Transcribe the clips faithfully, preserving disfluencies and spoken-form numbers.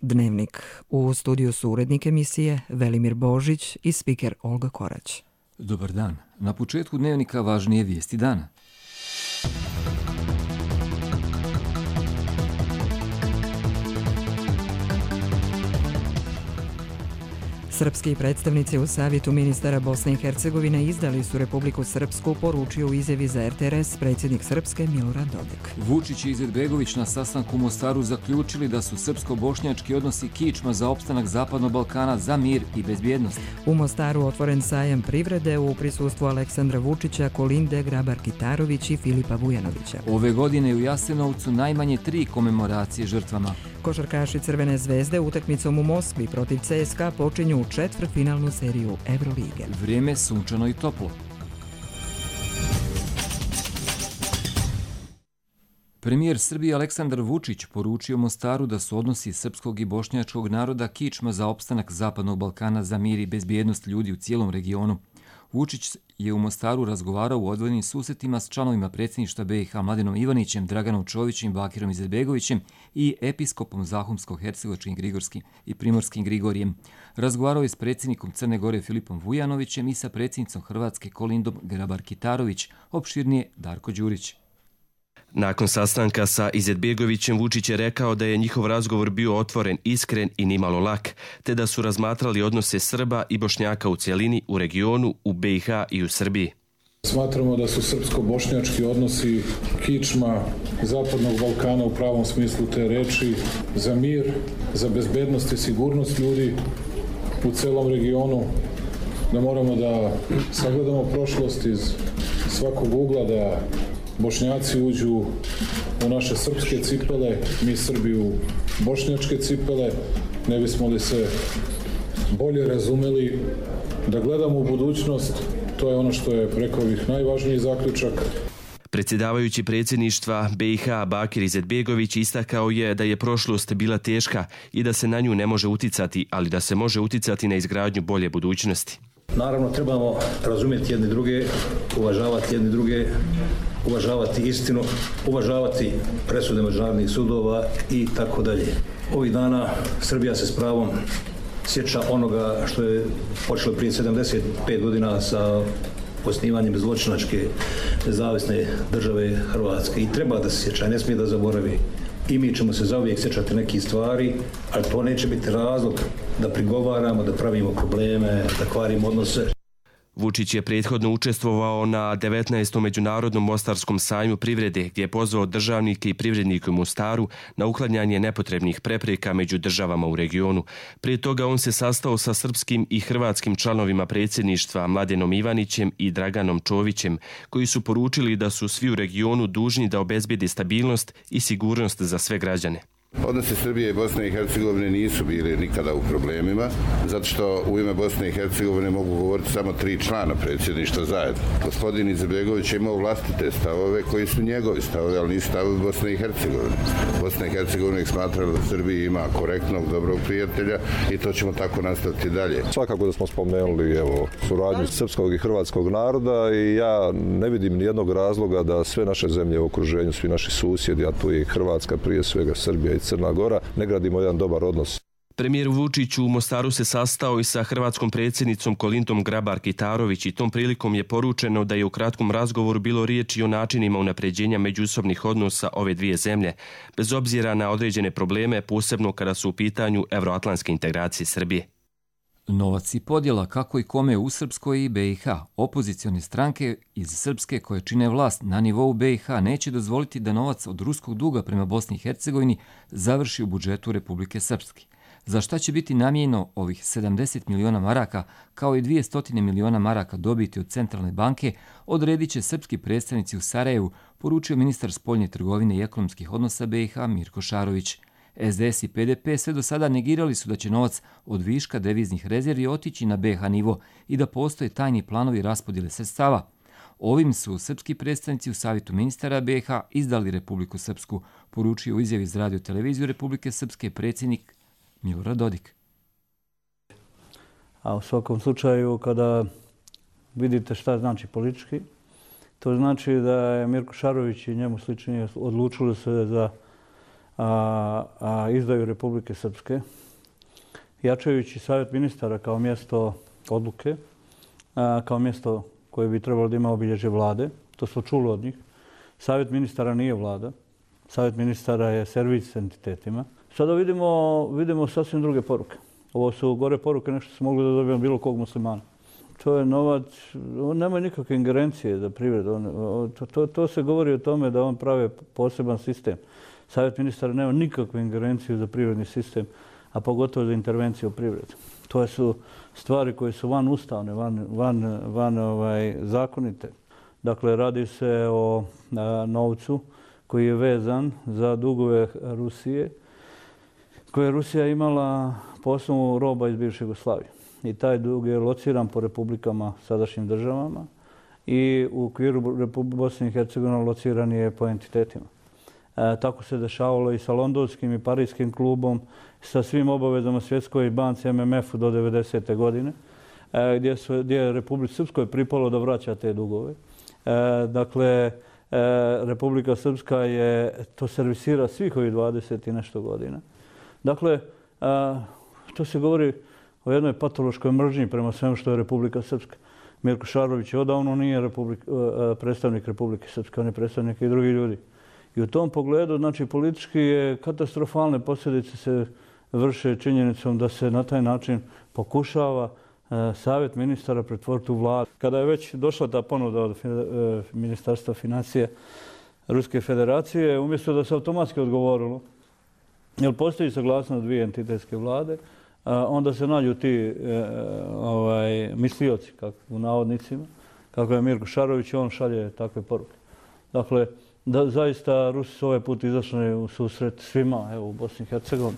Dnevnik. U studiju su urednik emisije Velimir Božić i spiker Olga Korać. Dobar dan. Na početku Dnevnika važnije vijesti dana. Srpski predstavnici u Savjetu ministara Bosne i Hercegovine izdali su Republiku Srpsku, poručio u izjavi za R T R S predsjednik Srpske Milorad Dodik. Vučić i Izetbegović na sastanku u Mostaru zaključili da su srpsko-bošnjački odnosi kičma za opstanak Zapadnog Balkana za mir i bezbjednost. U Mostaru otvoren sajam privrede u prisustvu Aleksandra Vučića, Kolinde Grabar-Kitarović i Filipa Vujanovića. Ove godine u Jasenovcu najmanje tri komemoracije žrtvama. Košarkaši Crvene zvezde utakmicom u Moskvi protiv C S K A počinju četvrtfinalnu seriju Evrolige. Vrijeme sunčano i toplo. Premijer Srbije Aleksandar Vučić poručio Mostaru da su odnosi srpskog i bošnjačkog naroda kičma za opstanak Zapadnog Balkana za mir i bezbjednost ljudi u cijelom regionu. Vučić je u Mostaru razgovarao u odvojenim susretima s članovima predsjedništva B i H Mladenom Ivanićem, Draganom Čovićem, Bakirom Izetbegovićem i episkopom Zahumsko-hercegovačkim Grigorskim i Primorskim Grigorijem. Razgovarao je s predsjednikom Crne Gore Filipom Vujanovićem i sa predsjednicom Hrvatske Kolindom Grabar-Kitarović, opširnije Darko Đurić. Nakon sastanka sa Izetbegovićem, Vučić je rekao da je njihov razgovor bio otvoren, iskren i nimalo lak, te da su razmatrali odnose Srba i Bošnjaka u cjelini, u regionu, u B i H i u Srbiji. Smatramo da su srpsko-bošnjački odnosi kičma Zapadnog Balkana u pravom smislu te reči za mir, za bezbednost i sigurnost ljudi u celom regionu, da moramo da sagledamo prošlost iz svakog ugla, da Bošnjaci uđu u naše srpske cipele, mi Srbi u bošnjačke cipele, ne bismo li se bolje razumeli, da gledamo u budućnost, to je ono što je, rekao bih, najvažniji zaključak. Predsjedavajući predsjedništva B i H Bakir Izetbegović istakao je da je prošlost bila teška i da se na nju ne može uticati, ali da se može uticati na izgradnju bolje budućnosti. Naravno, trebamo razumjeti jedni druge, uvažavati jedni druge, uvažavati istinu, uvažavati presude međunarodnih sudova i tako dalje. Ovih dana Srbija se s pravom sjeća onoga što je počelo prije sedamdeset pet godina sa osnivanjem zločinačke nezavisne države Hrvatske i treba da se sjeća, ne smije da zaboravi. I mi ćemo se zauvijek sjećati nekih stvari, ali to neće biti razlog da prigovaramo, da pravimo probleme, da kvarimo odnose. Vučić je prethodno učestvovao na devetnaestom međunarodnom mostarskom sajmu privrede, gdje je pozvao državnike i privrednike u Mostaru na uklanjanje nepotrebnih prepreka među državama u regionu. Prije toga on se sastao sa srpskim i hrvatskim članovima predsjedništva Mladenom Ivanićem i Draganom Čovićem, koji su poručili da su svi u regionu dužni da obezbijede stabilnost i sigurnost za sve građane. Odnosi Srbije i Bosne i Hercegovine nisu bili nikada u problemima, zato što u ime Bosne i Hercegovine mogu govoriti samo tri člana predsjedništva zajedno. Gospodin Izetbegović je imao vlastite stavove koji su njegovi stavove, ali nisu stavovi Bosne i Hercegovine. Bosna i Hercegovina ih smatrala da Srbiji ima korektnog, dobrog prijatelja i to ćemo tako nastaviti dalje. Svakako da smo spomenuli evo, suradnju srpskog i hrvatskog naroda i ja ne vidim nijednog razloga da sve naše zemlje u okruženju, svi naši susjedi, a tu je i Hrvatska, prije svega Srbija i Crna Gora, ne gradimo jedan dobar odnos. Premijer Vučić u Mostaru se sastao i sa hrvatskom predsjednicom Kolindom Grabar-Kitarović i tom prilikom je poručeno da je u kratkom razgovoru bilo riječi o načinima unapređenja međusobnih odnosa ove dvije zemlje, bez obzira na određene probleme, posebno kada su u pitanju evroatlantske integracije Srbije. Novac i podjela kako i kome u Srpskoj i B i H. Opozicione stranke iz Srpske koje čine vlast na nivou B i H neće dozvoliti da novac od ruskog duga prema Bosni i Hercegovini završi u budžetu Republike Srpske. Za šta će biti namijenjeno ovih sedamdeset miliona maraka kao i dvjesto miliona maraka dobiti od Centralne banke odredit će srpski predstavnici u Sarajevu, poručio ministar spoljne trgovine i ekonomskih odnosa B i H Mirko Šarović. S D S i P D P sve do sada negirali su da će novac od viška deviznih rezervi otići na B i H nivo i da postoje tajni planovi raspodjele sredstava. Ovim su srpski predstavnici u Savjetu ministara B i H izdali Republiku Srpsku, poručio u izjavi za radio televiziju Republike Srpske predsjednik Milorad Dodik. A u svakom slučaju, kada vidite šta znači politički, to znači da je Mirko Šarović i njemu slični odlučili se za a, a izdaju Republike Srpske, jačajući Savjet ministara kao mjesto odluke, a, kao mjesto koje bi trebalo da ima obilježje vlade. To smo čuli od njih. Savjet ministara nije vlada. Savjet ministara je servis entitetima. Sada vidimo, vidimo sasvim druge poruke. Ovo su gore poruke, nešto se mogli da dobijemo bilo kog muslimana. To je novac, on nema nikakve ingerencije za privredu. On, to, to, to se govori o tome da on prave poseban sistem. Savjet ministara nema nikakve ingerencije za privredni sistem, a pogotovo za intervenciju u privredu. To su stvari koje su van ustavne, van, van, van ovaj, zakonite. Dakle, radi se o a, novcu koji je vezan za dugove Rusije, koje je Rusija imala po osnovu roba iz bivše Jugoslavije. I taj dug je lociran po republikama, sadašnjim državama, i u okviru Bosne i Hercegovine lociran je po entitetima. E, tako se dešavalo i sa londonskim i parijskim klubom, sa svim obavezama Svjetskoj banci M M F-u do devedesete godine, e, gdje, su, gdje je Republici Srpskoj pripalo da vraća te dugove. E, dakle, e, Republika Srpska je to servisira svih ovih dvadeset i nešto godina. Dakle, e, to se govori o jednoj patološkoj mržnji prema svemu što je Republika Srpska. Mirko Šarović odavno nije republik, predstavnik Republike Srpske, on je predstavnik i drugih ljudi. I u tom pogledu, znači, politički je katastrofalne posljedice se vrše činjenicom da se na taj način pokušava Savjet ministara pretvoriti u vladu. Kada je već došla ta ponuda od Ministarstva financija Ruske federacije, umjesto da se automatski odgovorilo, jer postoji saglasnost dvije entitetske vlade, onda se nađu ti ovaj, mislioci, kako, u navodnicima, kako je Mirko Šarović, on šalje takve poruke. Dakle, da, zaista Rusi su ovaj put izašli u susret svima, evo, u Bosni i Hercegovini.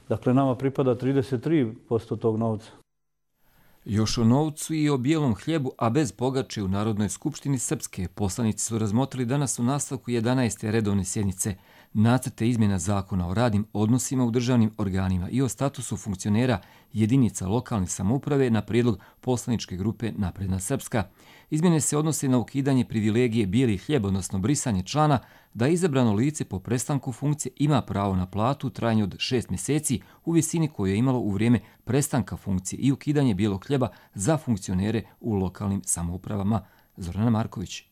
Dakle, nama pripada trideset tri posto tog novca. Još o novcu i o bijelom hljebu, a bez pogače u Narodnoj skupštini Srpske, poslanici su razmotrili danas u nastavku jedanaeste redovne sjednice nacrte izmjena zakona o radnim odnosima u državnim organima i o statusu funkcionera jedinica lokalne samouprave na prijedlog poslaničke grupe Napredna Srpska. Izmjene se odnose na ukidanje privilegije bijeli hljeb, odnosno brisanje člana da izabrano lice po prestanku funkcije ima pravo na platu u trajanju od šest mjeseci u visini koju je imalo u vrijeme prestanka funkcije i ukidanje bijelog hljeba za funkcionere u lokalnim samoupravama. Zorana Marković.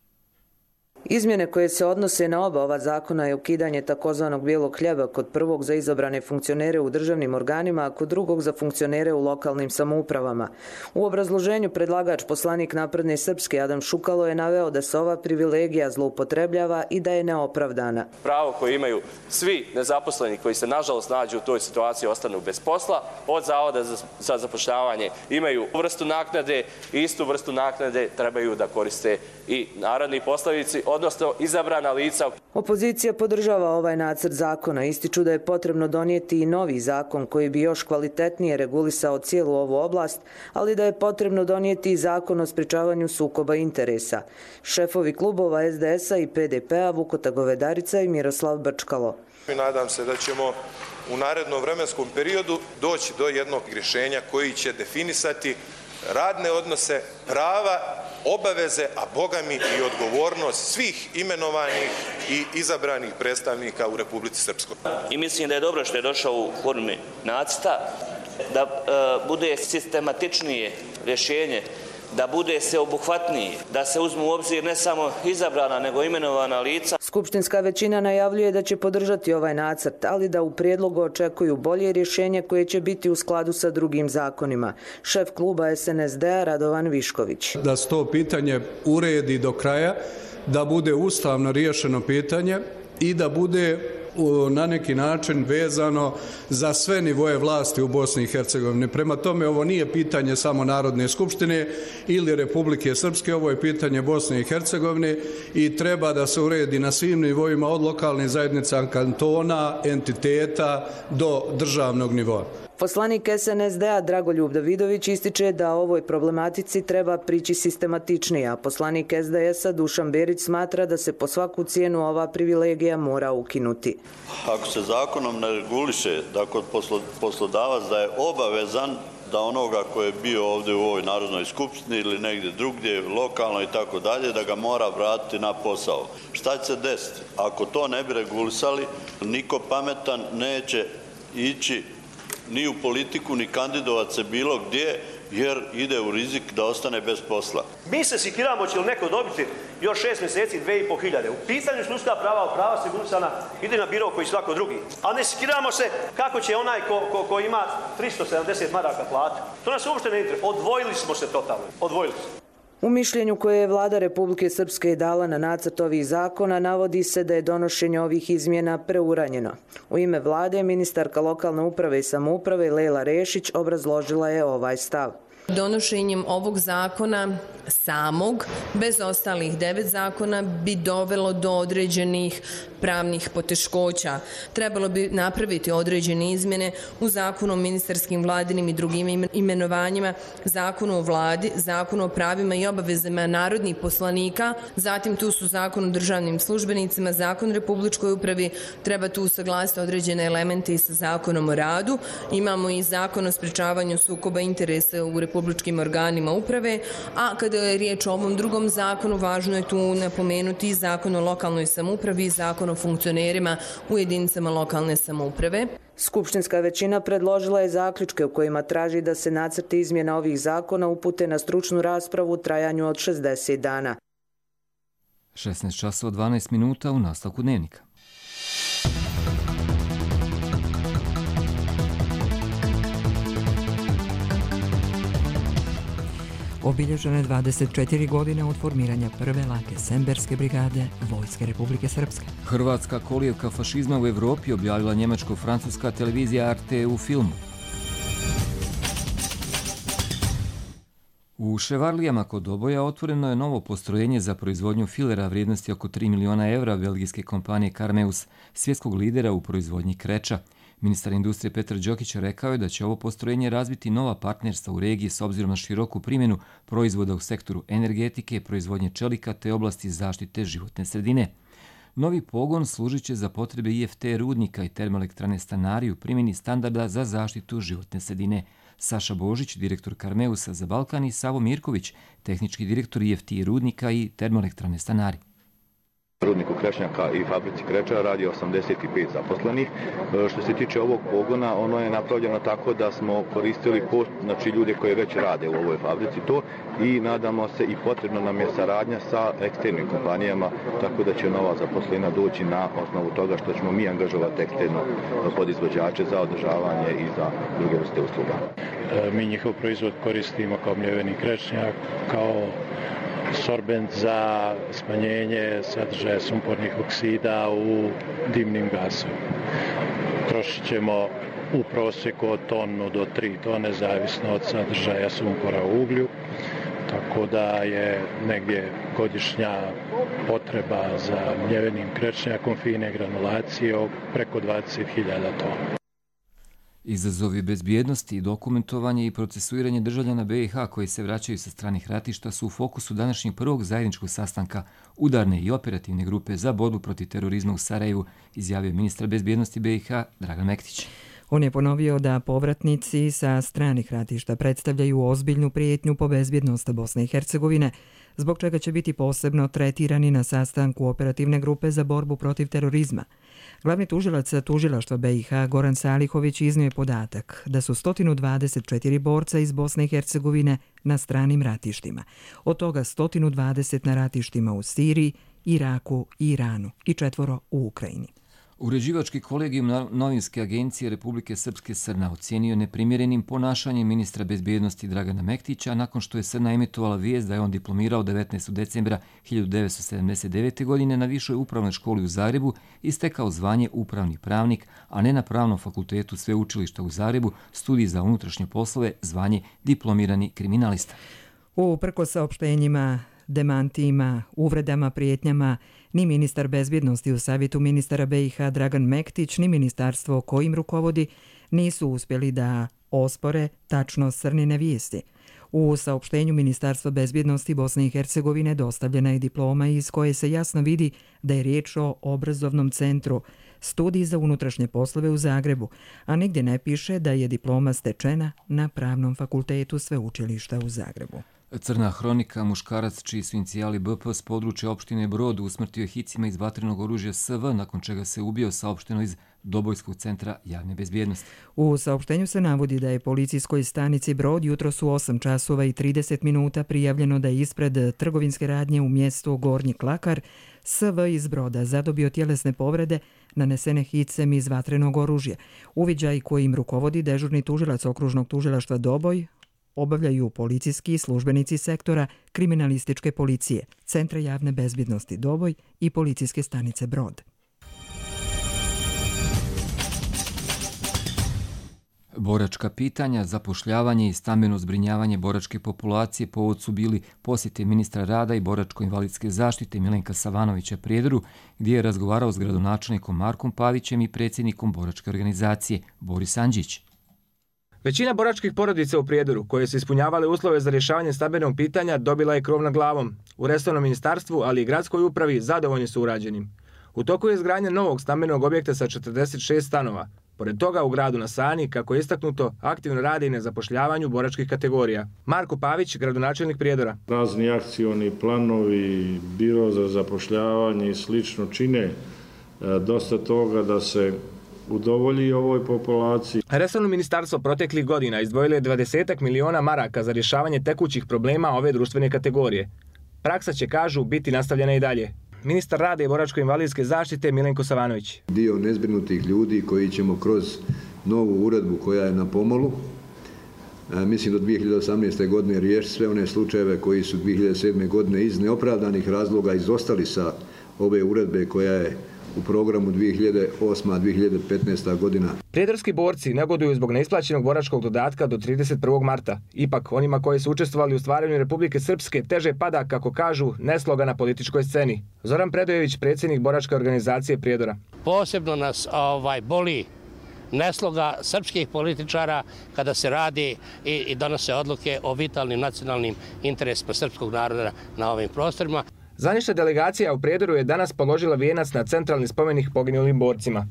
Izmjene koje se odnose na oba ova zakona je ukidanje takozvanog bijelog hljeba kod prvog za izabrane funkcionere u državnim organima, a kod drugog za funkcionere u lokalnim samoupravama. U obrazloženju predlagač poslanik Napredne Srpske Adam Šukalo je naveo da se ova privilegija zloupotrebljava i da je neopravdana. Pravo koje imaju svi nezaposleni koji se nažalost nađu u toj situaciji ostanu bez posla, od Zavoda za zapošljavanje imaju vrstu naknade i istu vrstu naknade trebaju da koriste i narodni poslanici, odnosno izabrana lica. Opozicija podržava ovaj nacrt zakona. Ističu da je potrebno donijeti i novi zakon koji bi još kvalitetnije regulisao cijelu ovu oblast, ali da je potrebno donijeti i zakon o sprečavanju sukoba interesa. Šefovi klubova S D S-a i P D P-a Vukota Govedarica i Miroslav Brčkalo. Nadam se da ćemo u narednom vremenskom periodu doći do jednog rješenja koji će definisati radne odnose, prava, obaveze, a bogami i odgovornost svih imenovanih i izabranih predstavnika u Republici Srpskoj. I mislim da je dobro što je došao u formi nacrta, da e, bude sistematičnije rješenje, da bude sveobuhvatniji, da se uzmu u obzir ne samo izabrana, nego imenovana lica. Skupštinska većina najavljuje da će podržati ovaj nacrt, ali da u prijedlogu očekuju bolje rješenje koje će biti u skladu sa drugim zakonima. Šef kluba S N S D-a Radovan Višković. Da se to pitanje uredi do kraja, da bude ustavno riješeno pitanje i da bude na neki način vezano za sve nivoje vlasti u Bosni i Hercegovini. Prema tome, ovo nije pitanje samo Narodne skupštine ili Republike Srpske, ovo je pitanje Bosne i Hercegovine i treba da se uredi na svim nivoima od lokalnih zajednica, kantona, entiteta do državnog nivoa. Poslanik S N S D-a Dragoljub Davidović ističe da ovoj problematici treba prići sistematičnije, a poslanik S D S-a Dušan Berić smatra da se po svaku cijenu ova privilegija mora ukinuti. Ako se zakonom ne reguliše da kod poslodavac da je obavezan da onoga koji je bio ovdje u ovoj Narodnoj skupštini ili negdje drugdje, lokalno i tako dalje, da ga mora vratiti na posao. Šta će se desiti? Ako to ne bi regulisali, niko pametan neće ići ni u politiku, ni kandidovat se bilo gdje, jer ide u rizik da ostane bez posla. Mi se sikiramo će li neko dobiti još šest mjeseci, dve i po hiljade. U pitanju ljudska prava, prava sigurnosna, ide na biro koji svako drugi. A ne sikiramo se kako će onaj ko, ko, ko ima tristo sedamdeset maraka platu. To nas uopšte ne interesuje. Odvojili smo se totalno. Odvojili se. U mišljenju koje je vlada Republike Srpske dala na nacrt ovih zakona navodi se da je donošenje ovih izmjena preuranjeno. U ime vlade ministarka lokalne uprave i samouprave Lela Rešić obrazložila je ovaj stav. Donošenjem ovog zakona samog, bez ostalih devet zakona, bi dovelo do određenih pravnih poteškoća. Trebalo bi napraviti određene izmjene u zakonu o ministarskim, vladinim i drugim imenovanjima, zakonu o vladi, zakonu o pravima i obavezama narodnih poslanika, zatim tu su zakon o državnim službenicima, zakon o republičkoj upravi, treba tu usaglasiti određene elemente i sa zakonom o radu. Imamo i zakon o sprečavanju sukoba interesa u republičkim organima uprave, a kada je riječ o ovom drugom zakonu, važno je tu napomenuti i zakon o lokalnoj samoupravi i zakon o funkcionerima u jedinicama lokalne samouprave. Skupštinska većina predložila je zaključke u kojima traži da se nacrti izmjena ovih zakona upute na stručnu raspravu u trajanju od šezdeset dana. šesnaest časova dvanaest minuta u nastavku dnevnika. Obilježeno je dvadeset četiri godine od formiranja prve lake Semberske brigade Vojske Republike Srpske. Hrvatska kolijevka fašizma u Evropi objavila njemačko-francuska televizija R T u filmu. U Ševarlijama kod Doboja otvoreno je novo postrojenje za proizvodnju filera vrijednosti oko tri miliona evra belgijske kompanije Carmeus, svjetskog lidera u proizvodnji kreča. Ministar industrije Petar Đokić rekao je da će ovo postrojenje razviti nova partnerstva u regiji s obzirom na široku primjenu proizvoda u sektoru energetike, proizvodnje čelika te oblasti zaštite životne sredine. Novi pogon služit će za potrebe I F T rudnika i termoelektrane Stanari u primjeni standarda za zaštitu životne sredine. Saša Božić, direktor Carmeusa za Balkan, i Savo Mirković, tehnički direktor I F T rudnika i termoelektrane Stanari. Rudniku Krešnjaka i fabrici Kreča radi osamdeset pet zaposlenih. Što se tiče ovog pogona, ono je napravljeno tako da smo koristili post, znači ljude koji već rade u ovoj fabrici to, i nadamo se i potrebno nam je saradnja sa eksternim kompanijama, tako da će nova zaposlena doći na osnovu toga što ćemo mi angažovati eksterno podizvođače za održavanje i za druge vrste usluga. Mi njihov proizvod koristimo kao mljeveni krešnjak, kao sorbent za smanjenje sadržaja sumpornih oksida u dimnim gasovima. Trošit ćemo u prosjeku od tonu do tri tone, zavisno od sadržaja sumpora u uglju, tako da je negdje godišnja potreba za mljevenim krečnjakom fine granulacije preko dvadeset hiljada tona. Izazovi bezbjednosti, dokumentovanje i procesuiranje državljana B i H koji se vraćaju sa stranih ratišta su u fokusu današnjeg prvog zajedničkog sastanka udarne i operativne grupe za borbu protiv terorizma u Sarajevu, izjavio ministar bezbjednosti B i H Dragan Mektić. On je ponovio da povratnici sa stranih ratišta predstavljaju ozbiljnu prijetnju po bezbjednost Bosne i Hercegovine, zbog čega će biti posebno tretirani na sastanku operativne grupe za borbu protiv terorizma. Glavni tužilac tužilaštva B i H Goran Salihović iznio je podatak da su sto dvadeset četiri borca iz Bosne i Hercegovine na stranim ratištima, od toga sto dvadeset na ratištima u Siriji, Iraku i Iranu i četvoro u Ukrajini. Uređivački kolegijum novinske agencije Republike Srpske Srna ocijenio neprimjerenim ponašanjem ministra bezbjednosti Dragana Mektića nakon što je Srna emitovala vijest da je on diplomirao devetnaestog decembra hiljadu devetsto sedamdeset devete. godine na Višoj upravnoj školi u Zagrebu i stekao zvanje upravni pravnik, a ne na Pravnom fakultetu Sveučilišta u Zagrebu, studij za unutrašnje poslove, zvanje diplomirani kriminalista. Uprkos saopštenjima, demantijima, uvredama, prijetnjama, ni ministar bezbjednosti u savjetu ministara B i H Dragan Mektić, ni ministarstvo kojim rukovodi nisu uspjeli da ospore tačnost Srnine vijesti. U saopštenju Ministarstva bezbjednosti Bosne i Hercegovine dostavljena je diploma iz koje se jasno vidi da je riječ o obrazovnom centru studij za unutrašnje poslove u Zagrebu, a nigdje ne piše da je diploma stečena na Pravnom fakultetu Sveučilišta u Zagrebu. Crna hronika, muškarac čiji su inicijali B P s područja opštine Brod usmrtio je hicima iz vatrenog oružja S V, nakon čega se ubio, saopšteno iz Dobojskog centra javne bezbjednosti. U saopštenju se navodi da je policijskoj stanici Brod jutros u osam časova i trideset minuta prijavljeno da je ispred trgovinske radnje u mjestu Gornji Klakar S V iz Broda zadobio tjelesne povrede nanesene hicem iz vatrenog oružja. Uviđaj kojim rukovodi dežurni tužilac okružnog tužilaštva Doboj obavljaju policijski službenici sektora kriminalističke policije, Centra javne bezbjednosti Doboj i policijske stanice Brod. Boračka pitanja, zapošljavanje i stambeno zbrinjavanje boračke populacije povod su bili posjete ministra rada i boračko-invalidske zaštite Milenka Savanovića Prijedoru, gdje je razgovarao s gradonačelnikom Markom Pavićem i predsjednikom boračke organizacije Boris Andžić. Većina boračkih porodica u Prijedoru, koje su ispunjavale uslove za rješavanje stambenog pitanja, dobila je krov nad glavom. U resornom ministarstvu, ali i gradskoj upravi, zadovoljni su urađenim. U toku je izgradnja novog stambenog objekta sa četrdeset šest stanova. Pored toga, u gradu na Sani, kako je istaknuto, aktivno radi i na zapošljavanju boračkih kategorija. Marko Pavić, gradonačelnik Prijedora. Razni akcioni planovi, biro za zapošljavanje i slično čine dosta toga da se udovolji ovoj populaciji. Resorno ministarstvo proteklih godina izdvojilo je dvadeset miliona maraka za rješavanje tekućih problema ove društvene kategorije. Praksa će, kažu, biti nastavljena i dalje. Ministar rada i boračko-invalidske zaštite Milenko Savanović. Dio nezbrinutih ljudi koji ćemo kroz novu uredbu koja je na pomolu, mislim do dvije hiljade osamnaeste. godine riješiti sve one slučajeve koji su dvije hiljade sedme. godine iz neopravdanih razloga izostali sa ove uredbe koja je u programu dvije hiljade osma do dvije hiljade petnaesta. godina. Prijedorski borci negoduju zbog neisplaćenog boračkog dodatka do trideset prvog marta. Ipak, onima koji su učestvovali u stvaranju Republike Srpske teže pada, kako kažu, nesloga na političkoj sceni. Zoran Predojević, predsjednik boračke organizacije Prijedora. Posebno nas ovaj, boli nesloga srpskih političara kada se radi i, i donose odluke o vitalnim nacionalnim interesima srpskog naroda na ovim prostorima. Zvanična delegacija u Prijedoru je danas položila vijenac na centralni spomenik poginulim borcima.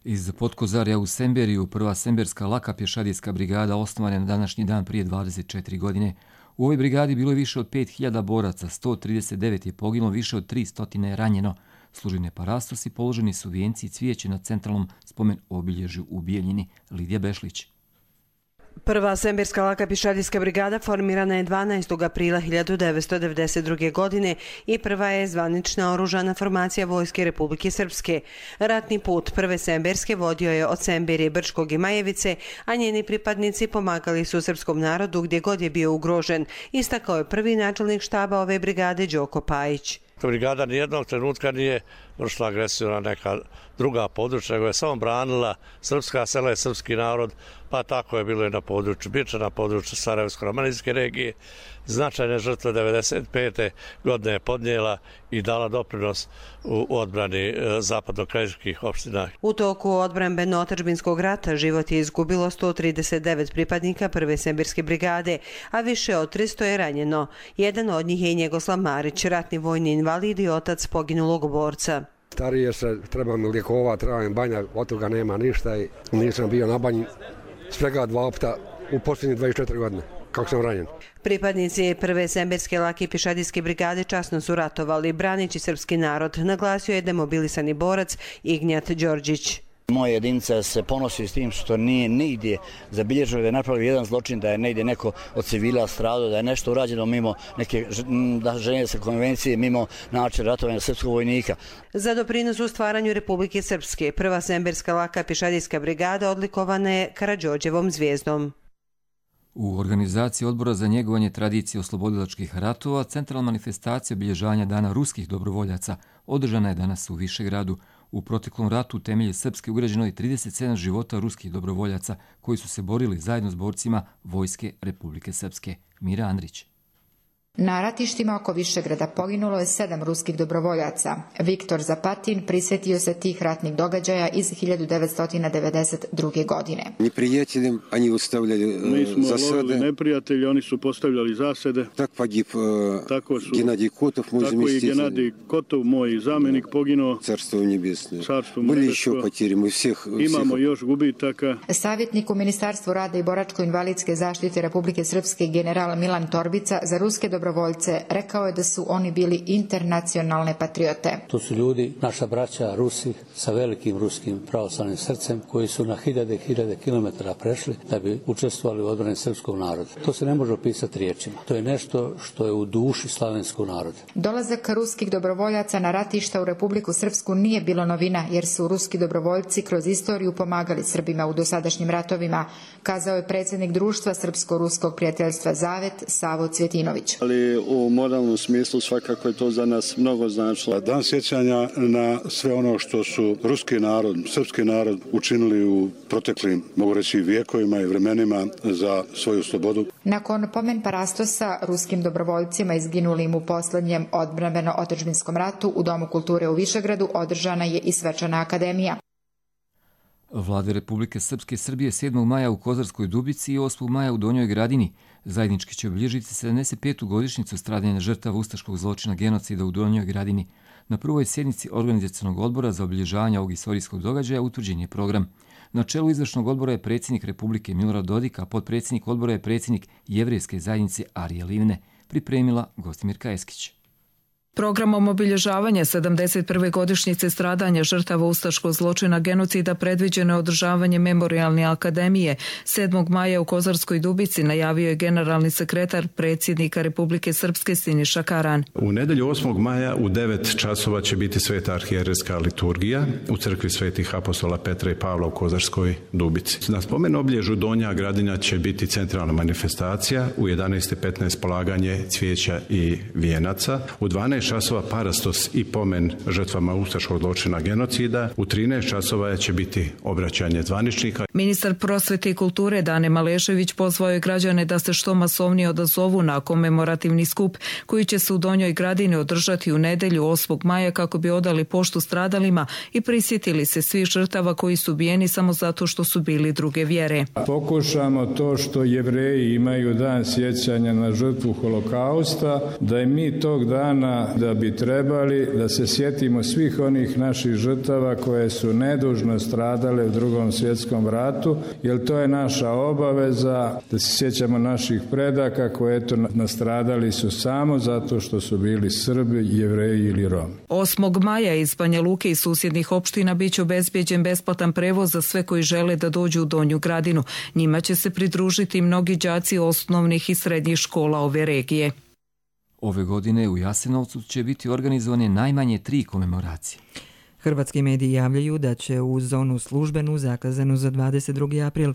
Iz Potkozarja u Semberiju prva semberska laka pješadijska brigada osnovana na današnji dan prije dvadeset četiri godine. U ovoj brigadi bilo je više od pet hiljada boraca, sto trideset devet je poginulo, više od tristo je ranjeno. Služene parastosi, položeni su vijenci i cvijeće na centralnom spomen obilježju u Bijeljini. Lidija Bešlić. Prva semberska laka pješadijska brigada formirana je dvanaestog aprila hiljadu devetsto devedeset druge. godine i prva je zvanična oružana formacija Vojske Republike Srpske. Ratni put prve semberske vodio je od Semberije, Brčkog i Majevice, a njeni pripadnici pomagali su srpskom narodu gdje god je bio ugrožen, istakao je prvi načelnik štaba ove brigade Đoko Pajić. Brigada nijednog trenutka nije vršila agresiju na neka druga područja, nego je samo branila srpska sela i srpski narod, pa tako je bilo i na području Biča, na području Sarajevsko-romanijske regije. Značajne žrtve devedeset pete. godine je podnijela i dala doprinos u odbrani zapadno-krajiških opština. U toku odbrambeno-otadžbinskog rata život je izgubilo sto trideset devet pripadnika prve semberske brigade, a više od tristo je ranjeno. Jedan od njih je i Njegoslav Marić, ratni vojni invalid i otac poginulog borca. Starije se, treba mi lijekova, treba mi banja, od toga nema ništa i nisam bio na banji svega dva puta u posljednjih dvadeset četiri godine, kako sam ranjen. Pripadnici prve semberske lake pješadijske brigade časno su ratovali, branići srpski narod, naglasio je demobilisani borac Ignjat Đorđić. Moja jedinica se ponosi s tim što nije nigdje zabilježeno da je napravio jedan zločin, da je negdje neko od civila stradao, da je nešto urađeno mimo neke ženevske konvencije, mimo načina ratovanja srpskog vojnika. Za doprinos u stvaranju Republike Srpske, prva semberska laka pješadijska brigada odlikovana je Karađorđevom zvijezdom. U organizaciji Odbora za njegovanje tradicije oslobodilačkih ratova centralna manifestacija obilježavanja Dana ruskih dobrovoljaca održana je danas u Višegradu. U proteklom ratu u temelje Srpske ugrađeno je trideset sedam života ruskih dobrovoljaca koji su se borili zajedno s borcima Vojske Republike Srpske. Mira Andrić. Na ratištima oko Višegrada poginulo je sedam ruskih dobrovoljaca. Viktor Zapatin prisjetio se tih ratnih događaja iz hiljadu devetsto devedeset druge. godine. Neprijateljem oni ustavljali zasade. Mi smo lovili neprijatelji, oni su postavljali zasede. Tak pogib tako su, Genadij Kotov, moj zamestitelj. Tako i Genadij Kotov, moj zamjenik, poginuo. Carstvo nebesno. Carstvo Bili još potjeri, mi svih... Imamo još gubitaka. Savjetnik u Ministarstvu rada i boračko-invalidske zaštite Republike Srpske general Milan Torbica za ruske dobrovoljce rekao je da su oni bili internacionalne patriote. To su ljudi, naša braća Rusi sa velikim ruskim pravoslavnim srcem koji su na hiljade i hiljade kilometara prešli da bi učestvovali u odbrani srpskog naroda. To se ne može opisati riječima. To je nešto što je u duši slavenskog naroda. Dolazak ruskih dobrovoljaca na ratišta u Republiku Srpsku nije bilo novina jer su ruski dobrovoljci kroz istoriju pomagali Srbima u dosadašnjim ratovima, kazao je predsjednik društva Srpsko-ruskog prijateljstva Zavet Savo Cvjetinović. Ali u moralnom smislu svakako je to za nas mnogo značilo. Dan sjećanja na sve ono što su ruski narod, srpski narod učinili u proteklim, mogu reći, vijekovima i vremenima za svoju slobodu. Nakon pomen parastosa ruskim dobrovoljcima izginulim u posljednjem odbrambeno-otadžbinskom ratu u Domu kulture u Višegradu održana je i svečana akademija. Vlade Republike Srpske i Srbije sedmog maja u Kozarskoj Dubici i osmog maja u Donjoj Gradini zajednički će obilježiti sedamdeset petu godišnjicu stradanja žrtava ustaškog zločina genocida u Donjoj Gradini. Na prvoj sjednici organizacionog odbora za obilježavanje ovog istorijskog događaja utvrđen je program. Na čelu izvršnog odbora je predsjednik Republike Milorad Dodik, a potpredsjednik odbora je predsjednik Jevrejske zajednice Arije Livne, pripremila Gostimirka Eskić. Programom obilježavanja sedamdeset prve godišnjice stradanja žrtava ustaškog zločina genocida predviđeno je održavanje Memorijalne akademije. sedmog maja u Kozarskoj Dubici najavio je generalni sekretar predsjednika Republike Srpske Siniša Karan. U nedelju osmog maja u devet časova će biti sveta arhijerejska liturgija u crkvi svetih apostola Petra i Pavla u Kozarskoj Dubici. Na spomen obilježju Donja Gradina će biti centralna manifestacija, u jedanaest i petnaest polaganje cvijeća i vijenaca, u dvanaest časova parastos i pomen žrtvama ustaškog zločina genocida. U trinaest časova će biti obraćanje zvaničnika. Ministar prosvete i kulture Dane Malešević pozvao je građane da se što masovnije odazovu na komemorativni skup koji će se u Donjoj Gradini održati u nedelju osmog maja kako bi odali poštu stradalima i prisjetili se svih žrtava koji su ubijeni samo zato što su bili druge vjere. Pokušamo to što Jevreji imaju dan sjećanja na žrtvu holokausta, da i mi tog dana da bi trebali da se sjetimo svih onih naših žrtava koje su nedužno stradale u Drugom svjetskom ratu, jer to je naša obaveza da se sjećamo naših predaka koje eto nastradali su samo zato što su bili Srbi, Jevreji ili Romi. osmog maja iz Banja Luke i susjednih opština biće obezbijeđen besplatan prevoz za sve koji žele da dođu u Donju Gradinu. Njima će se pridružiti mnogi đaci osnovnih i srednjih škola ove regije. Ove godine u Jasenovcu će biti organizovane najmanje tri komemoracije. Hrvatski mediji javljaju da će u zonu službenu zakazanu za dvadeset drugi april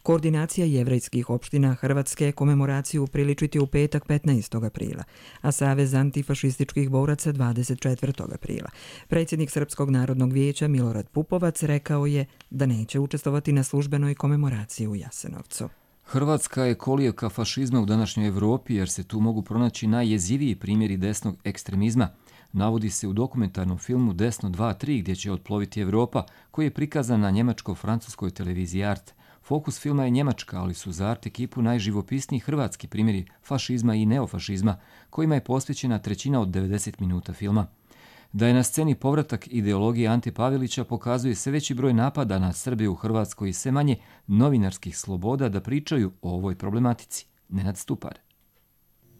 koordinacija jevrejskih opština Hrvatske komemoraciju priličiti u petak petnaestog aprila, a Savez antifašističkih boraca dvadeset četvrtog aprila. Predsjednik Srpskog narodnog vijeća Milorad Pupovac rekao je da neće učestvovati na službenoj komemoraciji u Jasenovcu. Hrvatska je kolijevka fašizma u današnjoj Evropi jer se tu mogu pronaći najjeziviji primjeri desnog ekstremizma. Navodi se u dokumentarnom filmu Desno dva tri gdje će otploviti Evropa koji je prikazan na njemačko-francuskoj televiziji Art. Fokus filma je Njemačka, ali su za Art ekipu najživopisniji hrvatski primjeri fašizma i neofašizma kojima je posvećena trećina od devedeset minuta filma. Da je na sceni povratak ideologije Ante Pavelića pokazuje sve veći broj napada na Srbe u Hrvatskoj i sve manje novinarskih sloboda da pričaju o ovoj problematici. Nenad Stupar.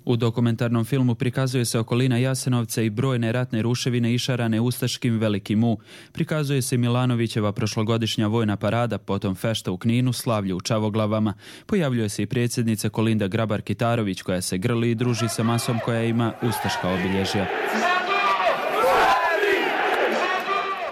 U dokumentarnom filmu prikazuje se okolina Jasenovca i brojne ratne ruševine išarane ustaškim Velikim U. Prikazuje se Milanovićeva prošlogodišnja vojna parada, potom fešta u Kninu, slavlje u Čavoglavama. Pojavljuje se i predsjednica Kolinda Grabar-Kitarović koja se grli i druži sa masom koja ima ustaška obilježja.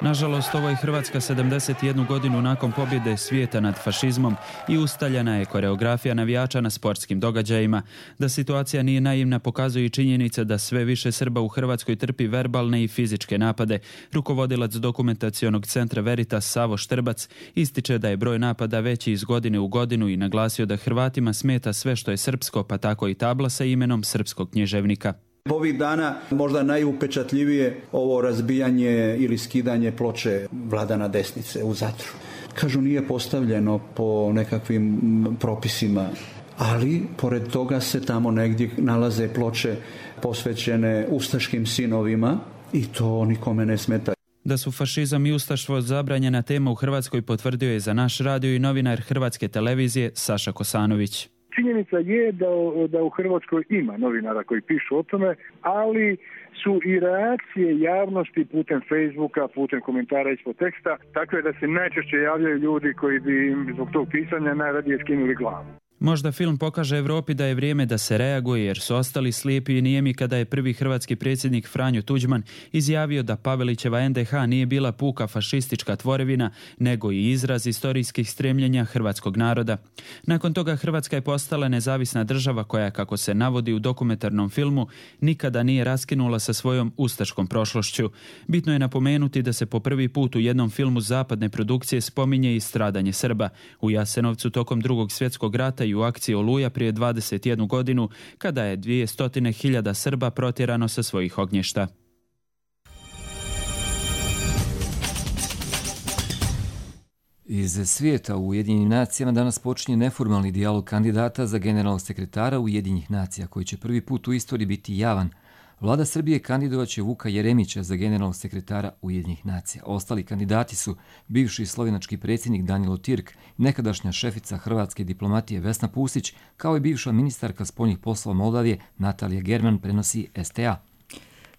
Nažalost, ovo je Hrvatska sedamdeset jednu godinu nakon pobjede svijeta nad fašizmom i ustaljena je koreografija navijača na sportskim događajima. Da situacija nije naivna pokazuje i činjenica da sve više Srba u Hrvatskoj trpi verbalne i fizičke napade. Rukovodilac dokumentacionog centra Veritas Savo Štrbac ističe da je broj napada veći iz godine u godinu i naglasio da Hrvatima smeta sve što je srpsko, pa tako i tabla sa imenom srpskog književnika. Ovih dana možda najupečatljivije ovo razbijanje ili skidanje ploče Vladana Desnice u Zadru. Kažu, nije postavljeno po nekakvim propisima, ali pored toga se tamo negdje nalaze ploče posvećene ustaškim sinovima i to nikome ne smeta. Da su fašizam i ustaštvo zabranjena tema u Hrvatskoj potvrdio je za naš radio i novinar Hrvatske televizije Saša Kosanović. Činjenica je da, da u Hrvatskoj ima novinara koji pišu o tome, ali su i reakcije javnosti putem Facebooka, putem komentara ispod teksta, takve da se najčešće javljaju ljudi koji bi im zbog tog pisanja najradije skinuli glavu. Možda film pokaže Evropi da je vrijeme da se reaguje jer su ostali slijepi i nijemi kada je prvi hrvatski predsjednik Franjo Tuđman izjavio da Pavelićeva en de ha nije bila puka fašistička tvorevina, nego i izraz istorijskih stremljenja hrvatskog naroda. Nakon toga Hrvatska je postala nezavisna država koja, kako se navodi u dokumentarnom filmu, nikada nije raskinula sa svojom ustaškom prošlošću. Bitno je napomenuti da se po prvi put u jednom filmu zapadne produkcije spominje i stradanje Srba. U Jasenovcu tokom Drugog svjetskog rata i u akciji Oluja prije dvadeset jednu godinu, kada je dvjesto hiljada Srba protjerano sa svojih ognjišta. Iz svijeta u Ujedinjenim nacijama danas počinje neformalni dijalog kandidata za generalnog sekretara Ujedinjenih nacija, koji će prvi put u istoriji biti javan. Vlada Srbije kandidovaće Vuka Jeremića za generalnog sekretara Ujedinjenih nacija. Ostali kandidati su bivši slovenački predsjednik Danilo Tirk, nekadašnja šefica hrvatske diplomatije Vesna Pusić, kao i bivša ministarka spoljnih poslova Moldavije Natalija German, prenosi es te a.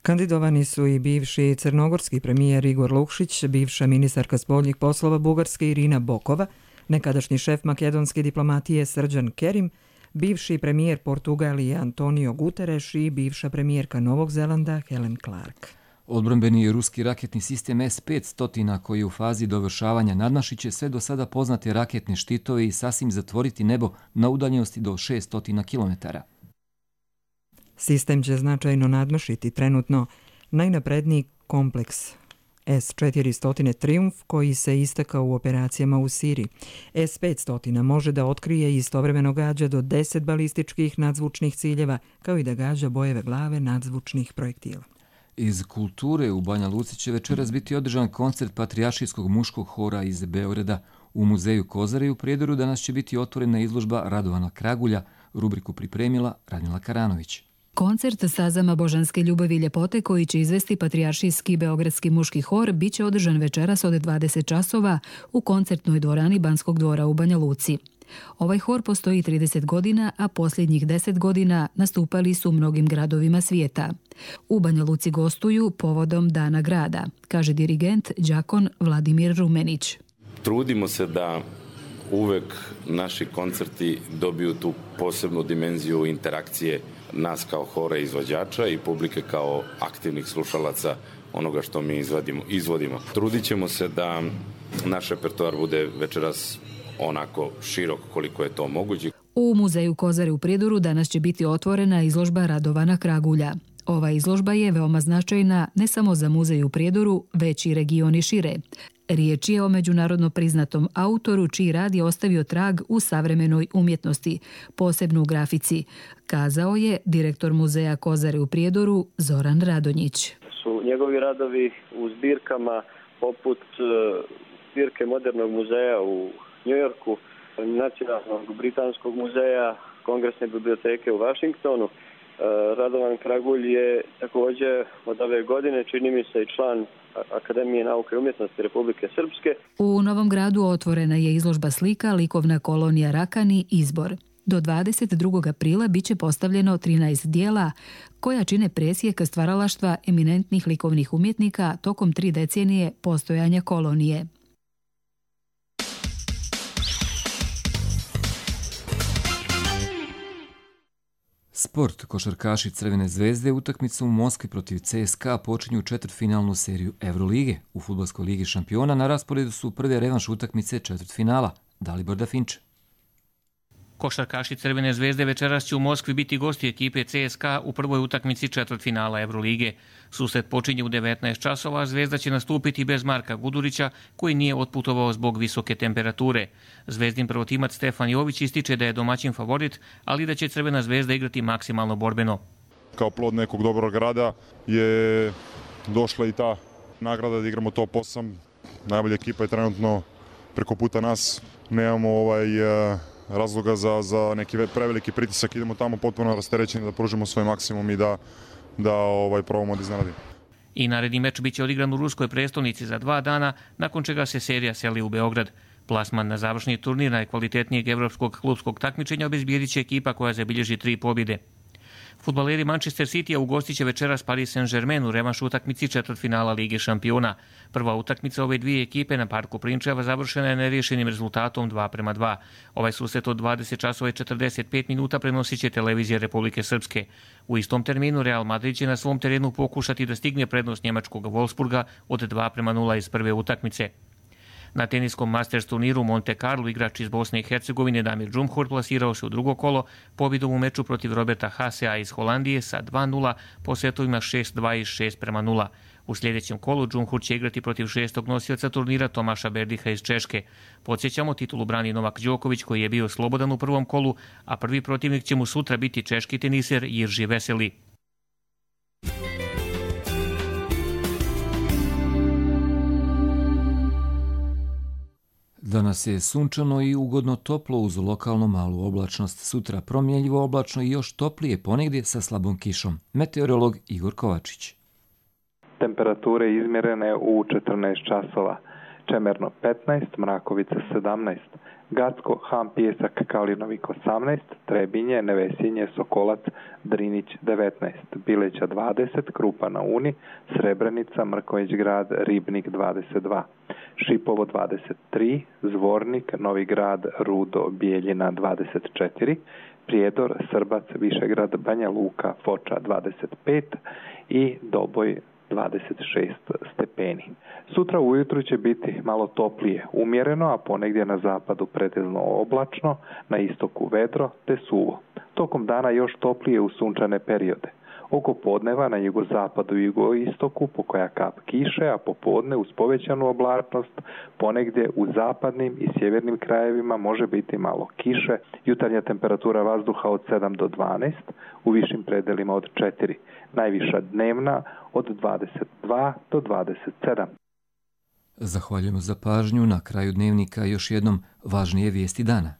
Kandidovani su i bivši crnogorski premijer Igor Lukšić, bivša ministarka spoljnih poslova Bugarske Irina Bokova, nekadašnji šef makedonske diplomatije Srđan Kerim, bivši premijer Portugalije Antonio Guterres i bivša premijerka Novog Zelanda Helen Clark. Odbrambeni ruski raketni sistem es petsto, koji je u fazi dovršavanja, nadmašiće sve do sada poznate raketne štitove i sasvim zatvoriti nebo na udaljenosti do šeststo kilometara. Sistem će značajno nadmašiti trenutno najnapredniji kompleks es četiristo Triumf koji se istakao u operacijama u Siriji. es petsto može da otkrije i istovremeno gađa do deset balističkih nadzvučnih ciljeva, kao i da gađa bojeve glave nadzvučnih projektila. Iz kulture u Banja Luci će večeras biti održan koncert Patrijaršijskog muškog hora iz Beograda. U muzeju Kozare u Prijedoru danas će biti otvorena izložba Radovana Kragulja, rubriku pripremila Radmila Karanović. Koncert Stazama božanske ljubavi i ljepote koji će izvesti Patrijaršijski beogradski muški hor biće održan večeras od dvadeset časova u koncertnoj dvorani Banskog dvora u Banja Luci. Ovaj hor postoji trideset godina, a posljednjih deset godina nastupali su u mnogim gradovima svijeta. U Banja Luci gostuju povodom Dana grada, kaže dirigent đakon Vladimir Rumenić. Trudimo se da uvek naši koncerti dobiju tu posebnu dimenziju interakcije nas kao hora izvođača i publike kao aktivnih slušalaca onoga što mi izvodimo. izvodimo. Trudit ćemo se da naš repertoar bude večeras onako širok koliko je to moguće. U muzeju Kozare u Prijedoru danas će biti otvorena izložba Radovana Kragulja. Ova izložba je veoma značajna ne samo za muzej u Prijedoru, već i regioni šire. Riječ je o međunarodno priznatom autoru čiji rad je ostavio trag u savremenoj umjetnosti, posebno u grafici, kazao je direktor muzeja Kozare u Prijedoru Zoran Radonjić. Su njegovi radovi u zbirkama poput zbirke Modernog muzeja u Njujorku, Nacionalnog britanskog muzeja, Kongresne biblioteke u Vašingtonu. Radovan Kragulj je također od ove godine, čini mi se, i član Akademije nauke i umjetnosti Republike Srpske. U Novom Gradu otvorena je izložba slika Likovna kolonija Rakani Izbor. Do dvadeset drugog aprila biće postavljeno trinaest dijela koja čine presjek stvaralaštva eminentnih likovnih umjetnika tokom tri decenije postojanja kolonije. Sport. Košarkaši Crvene zvezde utakmicu u Moskvi protiv C S K A počinju četvrtfinalnu seriju Evrolige. U Fudbalskoj ligi šampiona na rasporedu su prve revanš utakmice četvrtfinala. Dalibor Dafinče. Košarkaši Crvene zvezde večeras će u Moskvi biti gosti ekipe C S K A u prvoj utakmici četvrtfinala Evrolige. Susret počinje u devetnaest časova, a Zvezda će nastupiti bez Marka Gudurića, koji nije otputovao zbog visoke temperature. Zvezdin prvotimac Stefan Jović ističe da je domaćin favorit, ali da će Crvena zvezda igrati maksimalno borbeno. Kao plod nekog dobrog rada je došla i ta nagrada da igramo top osam. Najbolja ekipa je trenutno preko puta nas. Nemamo ovaj... razloga za, za neki preveliki pritisak, idemo tamo potpuno rasterećeni da pružimo svoj maksimum i da, da ovaj, probamo da iznenadimo. I naredni meč biće odigran u ruskoj prestolnici za dva dana, nakon čega se serija seli u Beograd. Plasman na završni turnir najkvalitetnijeg evropskog klubskog takmičenja obezbijedit će ekipa koja zabilježi tri pobjede. Fudbaleri Manchester City-a ugostiće večeras Paris Saint-Germain u revanš utakmici četvrtfinala Lige šampiona. Prva utakmica ove dvije ekipe na Parku Prinčeva završena je neriješenim rezultatom dva prema dva. Ovaj susret od dvadeset časova i četrdeset pet minuta prenosit će televizija Republike Srpske. U istom terminu Real Madrid će na svom terenu pokušati da stigne prednost njemačkog Wolfsburga od dva prema nula iz prve utakmice. Na teniskom Masters turniru u Monte Carlo igrač iz Bosne i Hercegovine Damir Džumhur plasirao se u drugo kolo pobjedom u meču protiv Roberta Hasea iz Holandije sa dva nula po setovima šest dva i šest prema nula. U sljedećem kolu Džumhur će igrati protiv šestog nosioca turnira Tomaša Berdiha iz Češke. Podsjećamo, titulu brani Novak Đoković koji je bio slobodan u prvom kolu, a prvi protivnik će mu sutra biti češki teniser Jirži Veseli. Danas je sunčano i ugodno toplo uz lokalno malu oblačnost. Sutra promjenljivo oblačno i još toplije ponegdje sa slabom kišom. Meteorolog Igor Kovačić. Temperature izmjerene u četrnaest časova. Čemerno petnaest, Mrakovica sedamnaest, Gacko, Ham, Pijesak, Kalinovik osamnaest, Trebinje, Nevesinje, Sokolac, Drinić devetnaest, Bileća dvadeset, Krupa na Uni, Srebrenica, Mrković grad, Ribnik dvadeset dva, Šipovo dvadeset tri, Zvornik, Novi grad, Rudo, Bijeljina dvadeset četiri, Prijedor, Srbac, Višegrad, Banja Luka, Foča dvadeset pet i Doboj dvadeset šest stepeni. Sutra ujutru će biti malo toplije, umjereno, a ponegdje na zapadu pretežno oblačno, na istoku vedro te suvo. Tokom dana još toplije u sunčane periode. Oko podneva na jugozapadu i jugoistoku pokoja kap kiše, a popodne uz povećanu oblačnost ponegdje u zapadnim i sjevernim krajevima može biti malo kiše. Jutarnja temperatura vazduha od sedam do dvanaest, u višim predelima od četiri. Najviša dnevna od dvadeset dva do dvadeset sedam. Zahvaljujemo za pažnju. Na kraju dnevnika još jednom važnije vijesti dana.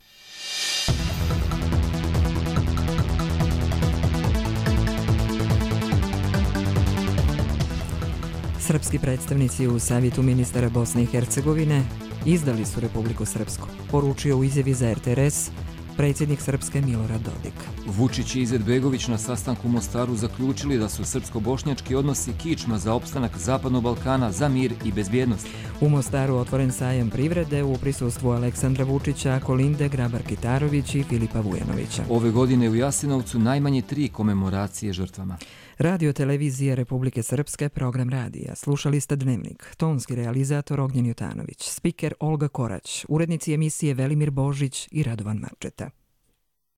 Srpski predstavnici u Savjetu ministara Bosne i Hercegovine izdali su Republiku Srpsku, poručio u izjavi za R T R S predsjednik Srpske Milorad Dodik. Vučić i Izetbegović na sastanku u Mostaru zaključili da su srpsko-bošnjački odnosi kičma za opstanak Zapadnog Balkana, za mir i bezbjednost. U Mostaru otvoren sajam privrede u prisustvu Aleksandra Vučića, Kolinde Grabar-Kitarović i Filipa Vujanovića. Ove godine u Jasenovcu najmanje tri komemoracije žrtvama. Radio televizije Republike Srpske, program radija. Slušali ste Dnevnik. Tonski realizator Ognjen Jutanović, spiker Olga Korać, urednici emisije Velimir Božić i Radovan Marčeta.